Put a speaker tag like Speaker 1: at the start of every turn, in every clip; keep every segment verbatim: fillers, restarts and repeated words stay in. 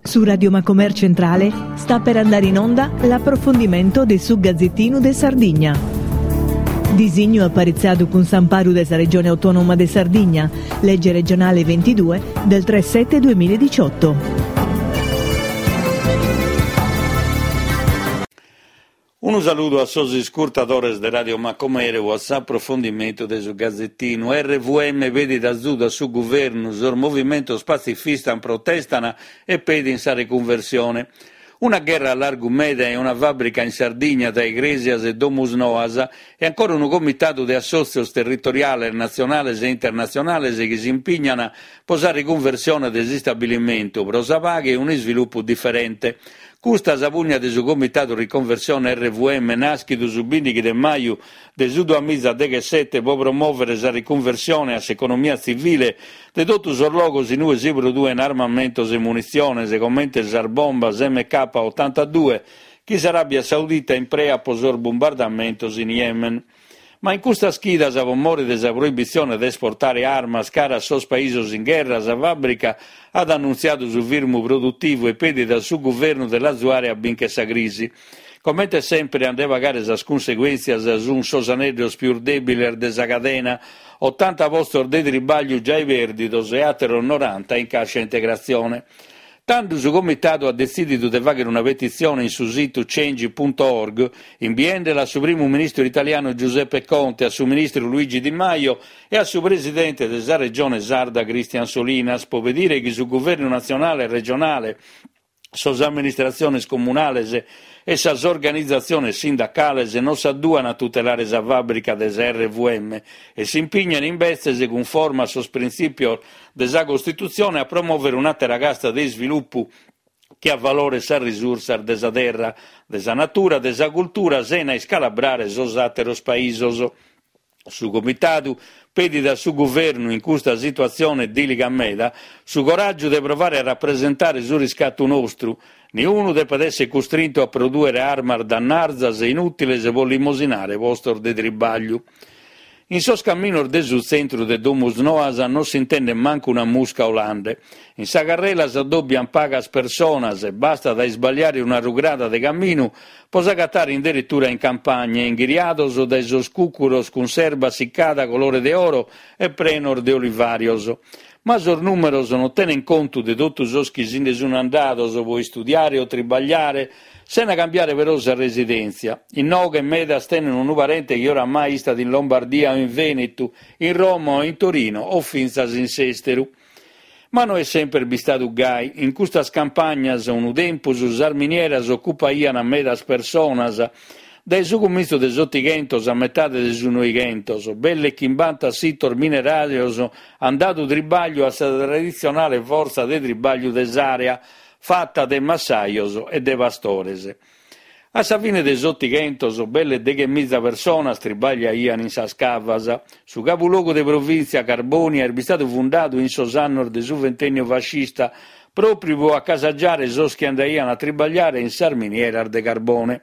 Speaker 1: Su Radio Macomer Centrale sta per andare in onda l'approfondimento de su Gazzettinu de Sardigna. Disignu aparitzadu cun s'amparu de sa Regione Autonoma de Sardigna, legge regionale ventidue del tre sette duemiladiciotto.
Speaker 2: Unu saludu a sos iscurtadores de Radio Macumere a s'aprofundimentu de su Gazzettinu. R V M pedit azudu a su guvernu, sos movimentos pazifistas protestana e pedin sa reconversione. Una gherra a largu meda e una fabbrica in Sardigna tra Igresias e Domusnoas e ancora unu comitadu de assòtzios territoriales, natzionales e internatzionales chi s'impignana pro sa riconversione de s'istabilimentu, pro sa paghe e un'isviluppu diferente. Custa sa pugna de su Comitadu Riconversione R V M naschidu su bindighi de maju de su duamizadechesete pro promovere sa riconversione a s'economia tzivile de totu sos logos in ue si produen armamentos e munitziones, comente sas bombas M K ottantadue chi s'Arabia Saudita imprea pro sos bombardamentos in Yemen. Ma in custas chidas, pro more de sa proibitzione de esportare armas cara a sos paisos in gherra, sa fabbrica at annuntziadu su firmu produttivu e pedit a su guvernu de l'azuare a bincher sa crisi. Comente sempre a nde pagare sas cunseguentzias sun sos aneddos pius dèbiles de sa cadena, ottanta postos de tribagliu giai pèrdidos e àteros noranta in càscia integratzione. Tando su comitadu at detzìdidu de fàghere una petitzione in su situ change punto org, imbiendela a su primu ministru italianu Giuseppe Conte, a su ministru Luigi Di Maio e a su presidente de sa regione sarda Christian Solinas, pro pedire chi su governu nazionale e regionale, sos amministratziones comunales e sas organizzatziones sindacales non s'adduan a tutelare sa fabbrica de sa R V M e s'impignan imbetzes, cunforma a sos printzipios de sa Costitutzione, a promovere un'àtera casta de isviluppu chi avaloret sas risursas de sa terra, de sa natura, de sa cultura, sena iscalabrare sos àteros paisos. Su comitadu pedit a su guvernu, in custa situatzione dìliga meda, su coràgiu de provare a rapresentare su riscatu nostru. Niunu depet essere costrintu a produere armas dannarzas e inùtiles pro limosinare postos de tribagliu. In sos caminos de su tzentru de Domusnoas non s'intendet mancu una musca olande. In sa carrela s'addobbian pagas personas e bastat a isbagliare una rugrada de caminu pro s'agatare in deretura in campagna, inghiriados dae sos cucuros cun s'erba siccada colore de oro e prenos de olivarios. Ma sos numeros non tenen contu de totu sos chi si nde sun andados pro istudiare o tribagliare, sena cambiare però sa residentzia. Inoghe medas tenen unu parente chi oramai istat in Lombardia o in Venetu, in Roma o in Torino o fintzas in s'esteru. Ma no est sempre bistadu gai. In custas campagnas unu tempus sas minieras occupaian medas personas. Dae su comintzu de s'Ottighentos a metade de su Noighentos, belle chimbanta sitos minerarios han dadu tribagliu a sa traditzionale fortza de tribagliu de s'area, fatta de massajos e de pastores. A sa fine de s'Ottighentos, belle deghemiza personas tribagliaian in sas cavas. Su capulogu de provintzia Carbonia est bistadu fundadu in sos annos de su ventennio fascista, propriu pro accasagiare sos chi andaian a tribagliare in sas minieras de carbone.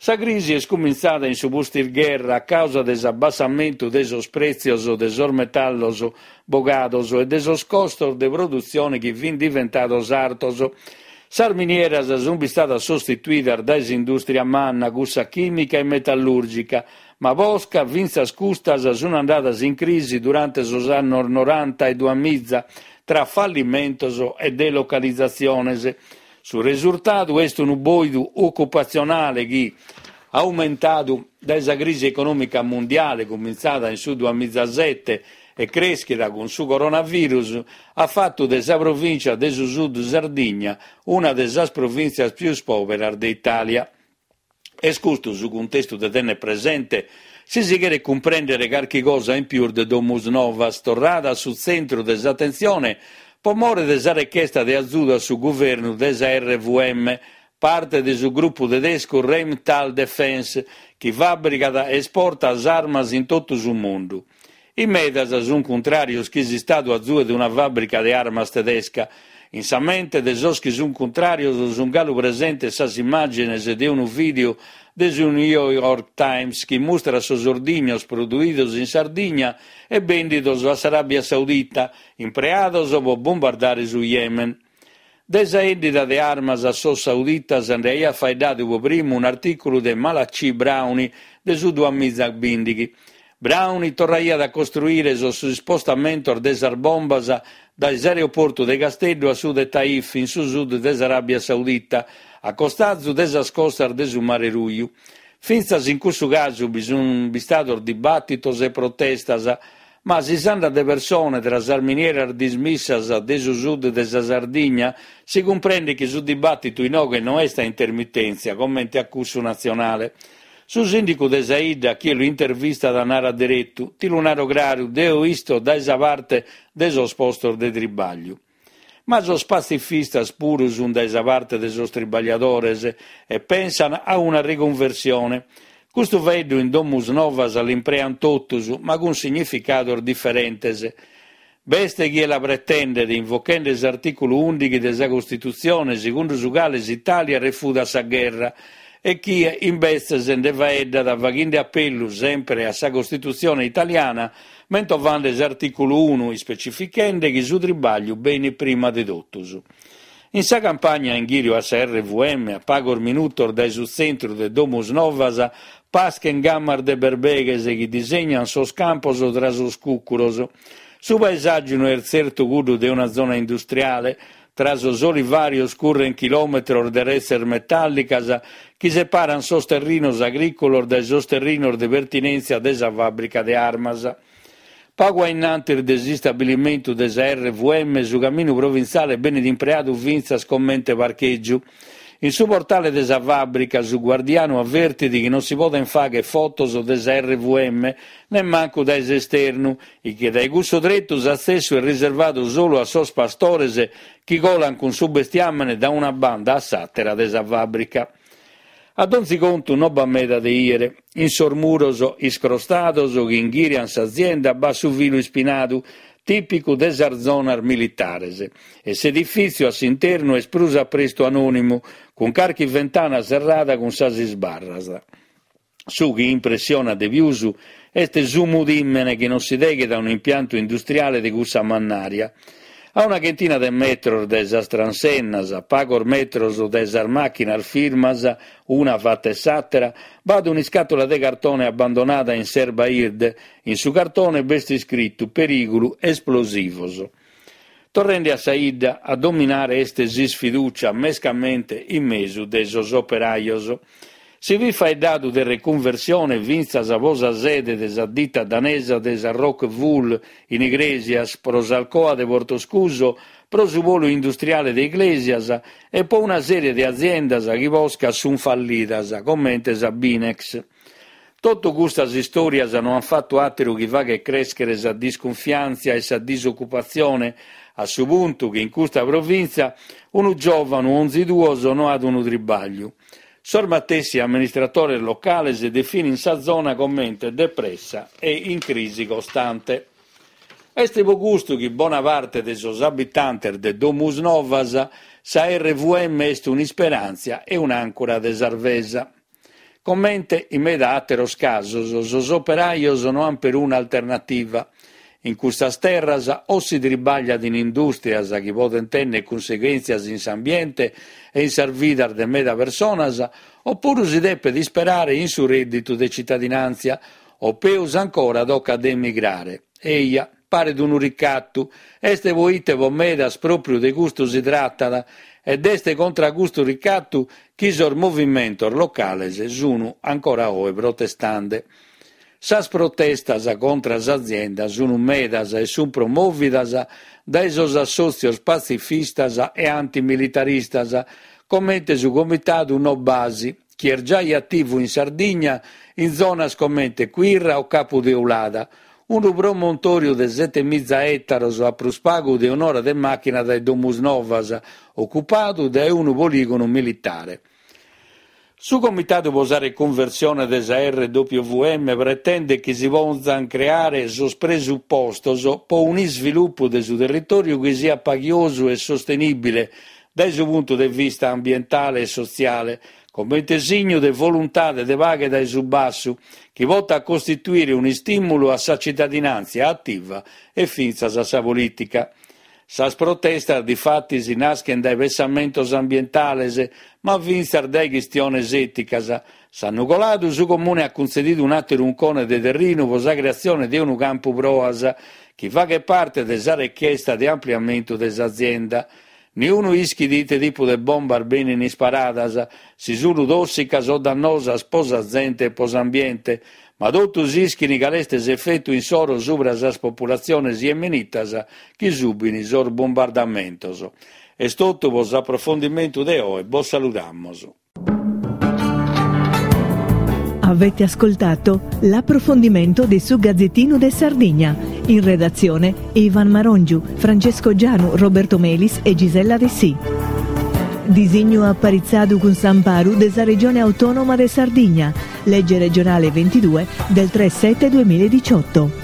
Speaker 2: Sa crisi est comintzada in su pustisgherra a causa de s'abbassamentu de sos pretzios de sos metallos bogados e de sos costos de produtzione chi fin diventados artos. Sas minieras sun bistadas sostituidas dae s'industria manna, cussa chimica e metallurgica, ma posca fintzas custas sun andadas in crisi durante sos annos noranta e duamiza, tra fallimentos e delocalizzatziones. Su risurtadu est unu boidu occupatzionale chi, aumentadu dae sa crisi economica mundiale comintzada in su duamizasete e creschida cun su coronavirus, ha fattu de sa provincia de su Sud Sardigna una de sas provintzias pius poberas de Italia. Est custu su cuntestu de tenere presente si si cheret cumprendere carchi cosa in pius de Domusnovas, torrada a su tzentru de s'atentzione pro more de sa rechesta de azudu a su guvernu de sa R V M, parte de su gruppu tedescu Rheinmetall Defense, chi fabbricat e esporta armas in totu su mundu. In medas sun contrarios chi s'Istadu azuet una fabbrica de armas tedesca. In sa mente de sos chi sun contrarios sun galu presentes sas immagines de unu video de su New York Times chi mustra sos ordignos produidos in Sardigna e bendidos a s'Arabia Saudita, impreados pro bombardare su Yemen. De sa 'endida de armas a sos sauditas nde aiat faeddadu pro primu un'artìculu de Malachy Browne de su duamiza bìndighi. Browne torraiat a costruire sos ispostamentos de sas bombas dae s'aeroportu de Casteddu a su de Taif, in su sud de s'Aràbia Saudita, a costazu de sas costas de su Mare Ruju. Fintzas in cussu casu bi sunt bistados dibàtitos e protestas, ma si s'andat de persone tra sas minieras dismissas de su sud de sa Sardigna, si cumprendet chi su dibàtitu inoghe no est a intermitèntzia, comente a cussu natzionale. Su sìndicu de sa 'idda, chie lu intervistat, narat deretu, ti lu naro craru, deo isto dae sa parte de sos postos de tribagliu. Ma sos patzifistas puru sunt dae sa parte de sos tribagliadores e pensan a una riconversione. Custu faeddu in Domusnovas l'imprean totus, ma cun significados diferentes. B'est chie la pretendet, invochende s'artìculu ùndighi de sa Costitutzione, segundu su cale s'Itàlia refudat sa gherra, e chie imbetzes nde faeddat faghende apellu sempre a sa Costitutzione italiana, mentovande s'artìculu unu, ispecifichende chi su tribagliu benit prima de totus. In sa campagna in ghìriu a sa R W M, a pagos minutos dae su tzentru de Domusnovas, paschen gamas de berbeghes chi disegnan sos campos tra sos cùcuros. Su paesàgiu no est tzertu cuddu de una zona industriale. Tra sos olivàrios curren chilòmetros de retzes metàllicas chi separan sos terrinos agrìculos dae sos terrinos de pertinèntzia de sa fàbrica de armas. Pagu a innantis de s'istabilimentu de sa R W M, su caminu provintziale benit impreadu fintzas comente parchègiu. In su portale de sa fàbrica su guardianu avvertit chi non si poden fagher fotos de sa R W M, nemmancu dae s'esternu, e chi dae cussu tretu s'atzessu est riservadu solu a sos pastores chi colan cun su bestiamene da una banda a s'àtera de sa fàbrica. A donzi contu non b'at meda de 'ìere. In sos muros iscrostados chi inghìrian s'azienda b'at su filu ispinadu, tìpicu de sas zonas militares, e s'edifìtziu a s'internu est prus a prestu anònimu, cun carchi ventana serrada cun sas isbarras. Su chi impressionat de pius est su mudìmene chi non si deghet a un'impiantu industriale de cussa mannària. A una chentina de metros dae sas transennas, a pagos metros dae sas màchinas firmas, una fatta e s'àtera, b'at un'iscàtula de cartone abbandonada in s'erba 'irde. In su cartone b'est iscritu perìgulu esplosivos. Torrende a sa 'idda, a dominare est s'isfiducia, mescamente in mesu de sos operajos. Si fit faeddadu de reconversione fintzas pro sa sede de sa ditta danesa de sa Rockwool in Igrèsias, pro s'Alcoa de Portoscuso, pro su polu industriale de Iglesias e pro una serie de aziendas chi posca sunt fallidas, comente sa Binex. Totu custas istòrias no ant fatu àteru chi fagher crèschere sa discunfiàntzia e sa disocupatzione, a su puntu chi in custa provìntzia unu giòvanu onzi duos no at unu tribagliu. Sos matessi amministratores locales definin sa zona comente depressa e in crisi costante. Est pro custu chi bona parte de sos abitantes de Domusnovas sa R W M est un'isperàntzia e un'àncora de salvesa. Comente in meda àteros casos, sos operajos no ant peruna alternativa. In custas terras o si tribagliat in indùstrias chi podent tenner cunseguèntzias in s'ambiente e in sas vidas de meda personas, oppuru si depet isperare in su rèdditu de cittadinàntzia, o peus ancora tocat de emigrare. Eia, paret unu ricattu, est poite po medas pròpriu de custu si tratat, ed est contra custu ricattu chi sos movimentos locales sunu ancora oe protestande. Sas protestas contra s'azienda sunt medas e sunt promòvidas dae sos assòtzios patzifistas e antimilitaristas, comente su Comitadu No Basi, chi est giai ativu in Sardigna in zonas comente Quirra o Capu Teulada, unu promontòriu de sete miza ètaros a prus pagu de un'ora de màchina dae Domusnovas, ocupadu dae unu polìgonu militare. Su Comitadu pro sa reconversione de sa R W M pretendet chi si potzan creare sos presupostos pro un'isvilupu de su territòriu chi siat paghiosu e sostenibile dae su puntu de vista ambientale e sotziale, comente signu de voluntade de paghe dae su bassu, chi potat costituire un'istìmulu a sa cittadinàntzia ativa e fintzas a sa polìtica. Sas protestas difatis naschen dae pessamentos ambientales, ma fintzas dae chistiones èticas. S'annu coladu su Comune at cuntzedidu un'àteru uncone de terrinu pro sa creatzione de unu campu proas, chi faghet parte de sa rechesta de ampliamentu de s'azienda. Niunu ischit ite tipu de bombas benin isparadas, si sunu tòssicas o dannosas pro sa zente e pro s'ambiente, ma totus ischin cale est s'efetu insoro subra sas populatziones yemenitas chi subin sos bombardamentos. Est totu pro s'aprofondimentu de oe, bos saludamos.
Speaker 1: Avete ascoltato l'approfondimento di Su Gazzettino de Sardigna. In redazione Ivan Marongiu, Francesco Gianu, Roberto Melis e Gisella Dessì. Disignu aparitzadu cun s'amparu de sa Regione Autonoma de Sardigna, legge regionale ventidue del tre sette duemiladiciotto.